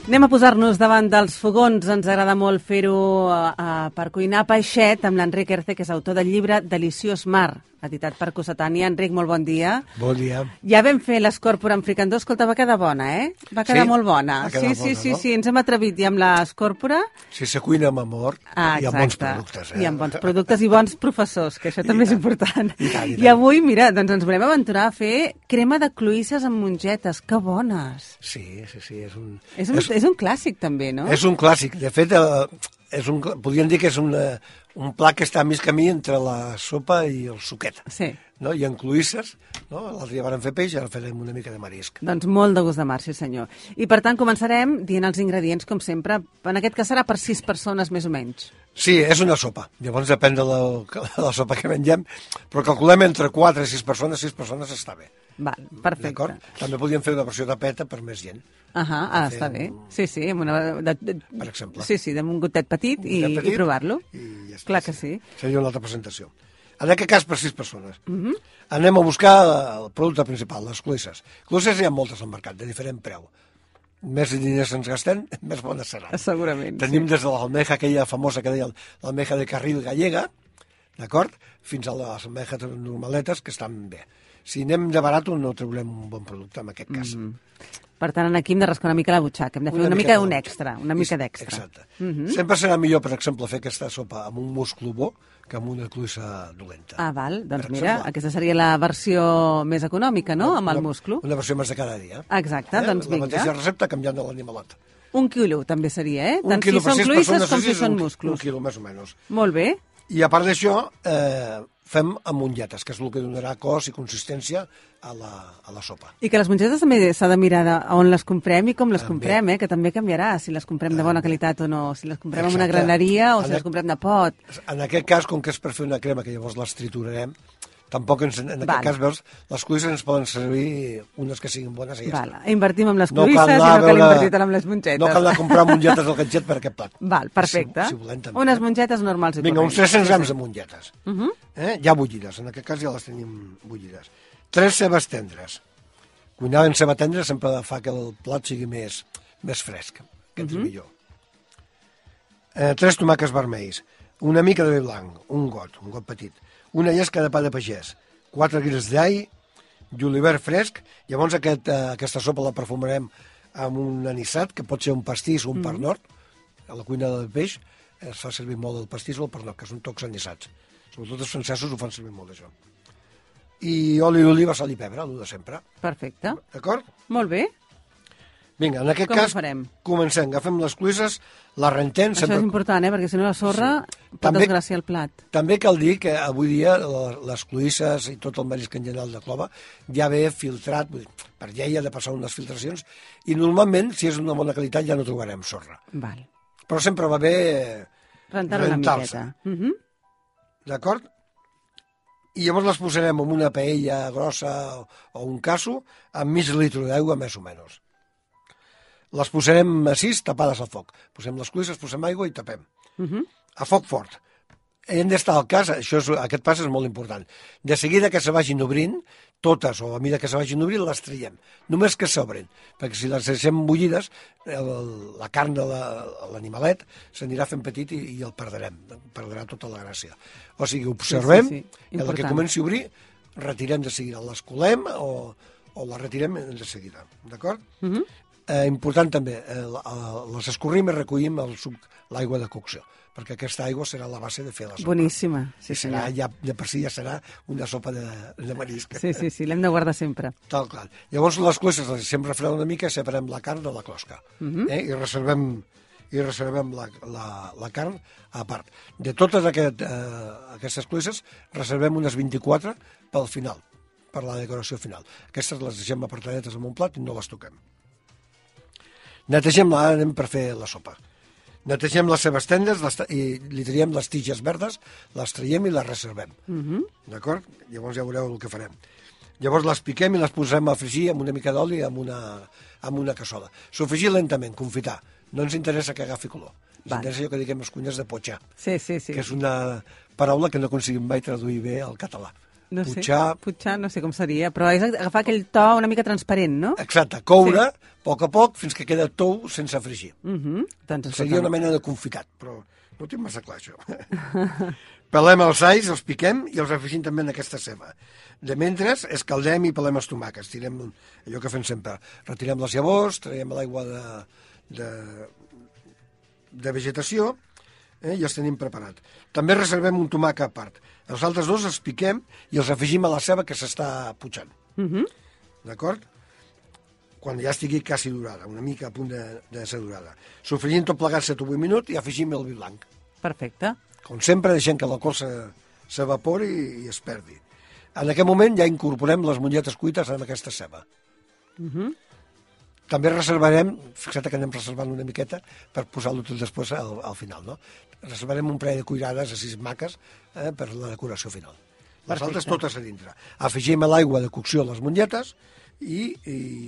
Anem a posar-nos davant dels fogons. Ens agrada molt fer-ho per cuinar peixet amb l'Enric Erce, que és autor del llibre Deliciós Mar, editat per Cossetània. Enric, molt bon dia. Bon dia. Ja vam fer l'escòrpora amb fricandó. Escolta, va quedar bona, eh? Va quedar molt bona. Sí, ens hem atrevit ja amb l'escòrpora. Si se cuina amb amor i amb bons productes. I amb bons productes i bons professors, que això també és important. I avui, mira, doncs ens volem aventurar a fer crema de cloïsses amb mongetes. Que bones! Sí. És un clàssic, també, no? És un clàssic. De fet, podríem dir que és un plat que està a mig camí entre la sopa i el suquet. Sí. No? I en cloïsses, no? L'altre dia vam fer peix i ara farem una mica de marisc. Doncs molt de gust de mar, sí senyor. I per tant començarem dient els ingredients, com sempre. En aquest cas serà per 6 persones, més o menys. Sí, és una sopa. Llavors depèn de la sopa que mengem, però calculem entre 4 i 6 persones està bé. Val, perfecte. D'acord? També podríem fer una versió de peta per més gent. Està bé. Sí, amb una... Per exemple. Sí, amb un gotet petit i provar-lo. Ja està, clar que sí. Seria una altra presentació. En aquest cas, per 6 persones. Anem a buscar el producte principal, les cloïsses. Cloïsses hi ha moltes al mercat, de diferent preu. Més diners ens gastem, més bones seran. Segurament, Tenim des de l'almeja aquella famosa que deia l'almeja de carril gallega, d'acord? Fins a les almejes normaletes, que estan bé. Si anem de barat, no traurem un bon producte, en aquest cas. Per tant, aquí hem de rascar una mica la butxaca, hem de fer una mica d'extra. Exacte. Sempre serà millor, per exemple, fer aquesta sopa amb un musclo bo que amb una cloïssa dolenta. Val. Doncs mira, aquesta seria la versió més econòmica, no?, amb el musclo. Una versió més de cada dia. Exacte, doncs vinga. La mateixa recepta canviant de l'animalet. 1 quilo també seria, eh? Tant si són cloïsses com si són musclos. 1 quilo, més o menys. Molt bé. I a part d'això, fem amb mongetes, que és el que donarà cos i consistència a la sopa. I que les mongetes també s'ha de mirar on les comprem i com les comprem, que també canviarà, si les comprem de bona qualitat o no, si les comprem en una graneria o si les comprem de pot. En aquest cas, com que és per fer una crema, que llavors les triturarem, tampoc en aquest cas, veus, les cloïsses ens poden servir unes que siguin bones i ja està. Invertim en les cloïsses i no cal invertir tant en les mongetes. No cal anar a comprar mongetes al gadget per aquest plat. Val, perfecte. Si volem, també. Unes mongetes normals i corrents. Vinga, uns 300 grams de mongetes. Ja bullides, en aquest cas ja les tenim bullides. 3 cebes tendres. Cuinar en ceba tendra sempre fa que el plat sigui més fresc, que és millor. 3 tomàquets vermells, una mica de vi blanc, un got petit, una llesca de pa de pagès, 4 guils d'all, julivert fresc. Llavors aquesta sopa la perfumarem amb un anissat, que pot ser un pastís o un pa nord. A la cuina del peix es fa servir molt el pastís o el pa nord, que són tocs anissats. Sobretot els francesos ho fan servir molt, això. I oli d'oliva, sal i pebre, el de sempre. Perfecte. D'acord? Molt bé. Vinga, en aquest cas, comencem. Agafem les cloïsses, les rentem... Això és important, perquè si no la sorra pot desgraciar el plat. També cal dir que avui dia les cloïsses i tot el marisc en general de clova ja ve filtrat, per llei ha de passar unes filtracions, i normalment, si és una bona qualitat, ja no trobarem sorra. Val. Però sempre va bé rentar-se una miqueta. D'acord? I llavors les posarem en una paella grossa o un casso amb mig litre d'aigua, més o menys. Les posarem així, tapades al foc. Posem les cloïsses, posem aigua i tapem. A foc fort. Hem d'estar al cas, aquest pas és molt important. De seguida que se vagin obrint, totes, o a mesura que se vagin obrint, les traiem. Només que s'obrin, perquè si les deixem bullides, la carn de l'animalet s'anirà fent petit i el perdrem. Perdrà tota la gràcia. O sigui, observem, i el que comenci a obrir, retirem de seguida. Les colem o les retirem de seguida. D'acord? Important també, les escorrim i recollim l'aigua de cocció, perquè aquesta aigua serà la base de fer la sopa. Boníssima, sí senyor. De per si ja serà una sopa de marisc. Sí, l'hem de guardar sempre. Tal, clar. Llavors les cloïsses les deixem refredar una mica i separem la carn de la closca. I reservem la carn a part. De totes aquestes cloïsses reservem unes 24 pel final, per la decoració final. Aquestes les deixem apartadetes en un plat i no les toquem. Netegem-la, anem per fer la sopa. Netegem les cebes tendres i li traiem les tiges verdes, les traiem i les reservem. D'acord? Llavors ja veureu el que farem. Llavors les piquem i les posem a fregir amb una mica d'oli amb una cassola. Sofregir lentament, confitar. No ens interessa que agafi color. Ens interessa allò que diguem les cuines de potxar, que és una paraula que no aconseguim mai traduir bé al català. No sé, Putxar... putxar no sé com seria, però és agafar aquell to una mica transparent, no? Exacte, coure a poc fins que queda tou sense fregir. Doncs, Seria una mena de confitat, però no ho tinc massa clar, això. Pelem els alls, els piquem i els afegim també en aquesta ceba. De mentre, escaldem i pelem els tomàquets. Tirem allò que fem sempre. Retirem les llavors, traiem l'aigua de vegetació i els tenim preparat. També reservem un tomàquet a part. Els altres dos els piquem i els afegim a la ceba que s'està putxant. D'acord? Quan ja estigui quasi durada, una mica a punt de ser durada. Sofregim tot plegat 7 o 8 minuts i afegim el vi blanc. Perfecte. Com sempre, deixem que l'alcohol s'evapori i es perdi. En aquest moment ja incorporem les mongetes cuites en aquesta ceba. També reservarem, fixa't que anem reservant una miqueta per posar-lo tot després al final, no? Reservarem un parell de cuirades a 6 maques per la decoració final. Les altres totes a dintre. Afegim a l'aigua de cocció les mongetes i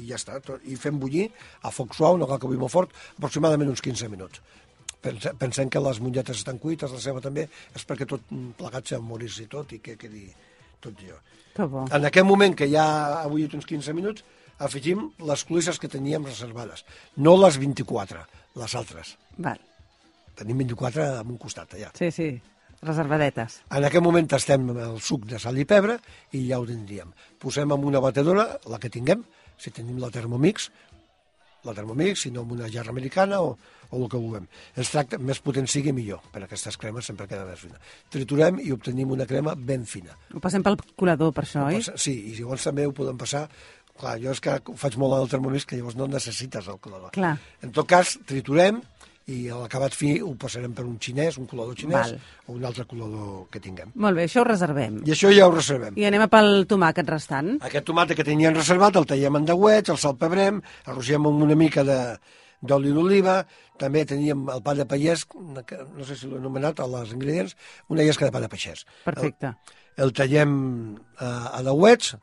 ja està. I fem bullir a foc suau, no cal que bulli molt fort, aproximadament uns 15 minuts. Pensem que les mongetes estan cuites, la ceba també, és perquè tot plegat s'amorisi tot i que quedi tot allò. Que bo. En aquest moment, que ja ha bullit uns 15 minuts, afegim les cloïsses que teníem reservades. No les 24, les altres. Val. Tenim 24 a un costat, allà. Sí, reservadetes. En aquest moment tastem el suc de sal i pebre i ja ho tindríem. Posem en una batedora, la que tinguem, si tenim la Thermomix, si no en una jarra americana o el que vulguem. Es tracta, més potent sigui millor, per aquestes cremes sempre queda més fina. Triturem i obtenim una crema ben fina. Ho passem pel colador, per això, oi? Sí, i llavors també ho podem passar. Clar, jo és que ho faig molt al Thermomix, que llavors no necessites el colador. Clar. En tot cas, triturem i a l'acabat fi ho passarem per un xinès, un colador xinès, o un altre colador que tinguem. Molt bé, això ho reservem. I això ja ho reservem. I anem a pel tomàquet restant. Aquest tomàquet que teníem reservat el tallem en deuets, el salpebrem, arrogem amb una mica d'oli d'oliva, també teníem el pa de pagès, no sé si l'he anomenat, als ingredients, una llesca de pa de pagès. Perfecte. El tallem a deuets,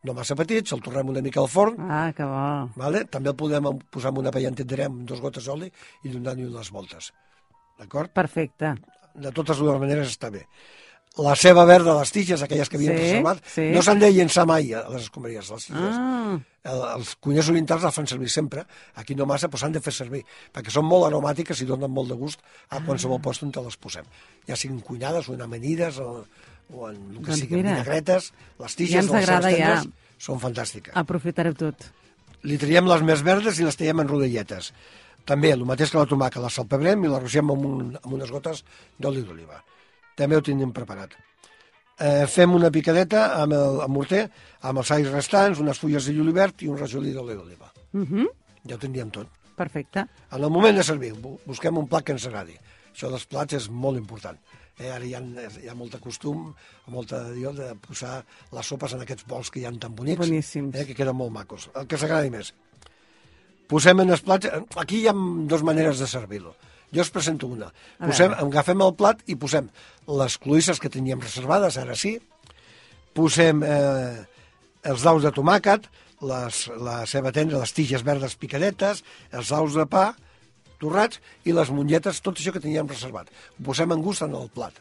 no massa petits, el tornem una mica al forn. Ah, que bo. Vale? També el podem posar en una paella entendrem amb 2 gotes d'oli i donar-hi unes voltes. D'acord? Perfecte. De totes dues maneres està bé. La ceba verda, les tiges, aquelles que havíem reservat, no s'han de llençar mai a les escombraries, les tiges. Els cuiners orientals les fan servir sempre, aquí no massa, però s'han de fer servir, perquè són molt aromàtiques i donen molt de gust a qualsevol lloc on te les posem. Ja siguin cuinades o en amanides o en el que sigui, vinagretes, les tiges, les cebes tendres, són fantàstiques. Aprofitareu tot. Li traiem les més verdes i les traiem en rodelletes. També, el mateix que la tomàquet, la salpebrem i la rogem amb unes gotes d'oli d'oliva. També ho tenim preparat. Fem una picadeta amb el morter, amb els alls restants, unes fulles de julivert i un rajolí d'oli d'oliva. Ja ho tindríem tot. Perfecte. En el moment de servir, busquem un plat que ens agradi. Això dels plats és molt important. Ara hi ha molt de costum, molta de posar les sopes en aquests bols que hi ha tan bonics. Boníssims. Que queden molt macos. El que s'agradi més. Posem en els plats... Aquí hi ha 2 maneres de servir-lo. Jo us presento una. Agafem el plat i posem les cloïsses que teníem reservades, ara sí. Posem els daus de tomàquet, la ceba tendra, les tiges verdes picadetes, els daus de pa torrats i les mongetes, tot això que teníem reservat. Ho posem en gust en el plat.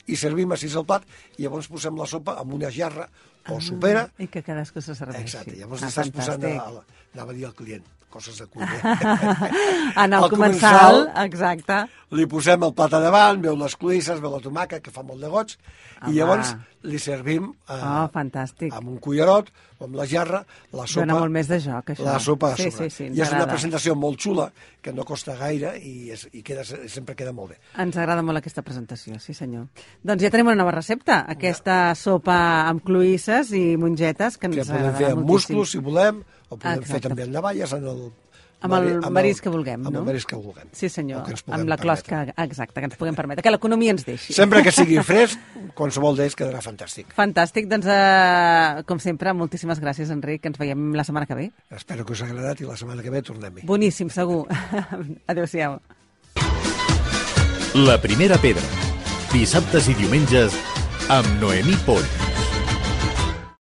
I servim així el plat i llavors posem la sopa en una jarra o sopera. I que cadascú se serveixi. Exacte, llavors estàs posant, anava a dir al client, coses de cuiner. En el comensal, exacte. Li posem el plat a davant, veu les cloïsses, veu la tomàquet, que fa molt de goig, i llavors li servim fantàstic. amb un cullerot o amb la jarra la sopa. Dóna molt més de joc, això. La sopa a sobre. Sí, I és una presentació molt xula, que no costa gaire i sempre queda molt bé. Ens agrada molt aquesta presentació, sí senyor. Doncs ja tenim una nova recepta, aquesta sopa amb cloïsses i mongetes, que ens agradarà moltíssim. Podem fer amb musclos, si volem, o podem fer també amb navalles, amb el marisc que vulguem, no? Amb el marisc que vulguem. Sí, senyor, amb la closca, exacte, que ens puguem permetre, que l'economia ens deixi. Sempre que sigui fresc, qualsevol d'ells quedarà fantàstic. Fantàstic, doncs, com sempre, moltíssimes gràcies, Enric, ens veiem la setmana que ve. Espero que us hagi agradat i la setmana que ve tornem-hi. Boníssim, segur. Adéu-siau. La primera pedra, dissabtes i diumenges, amb Noemí Poll.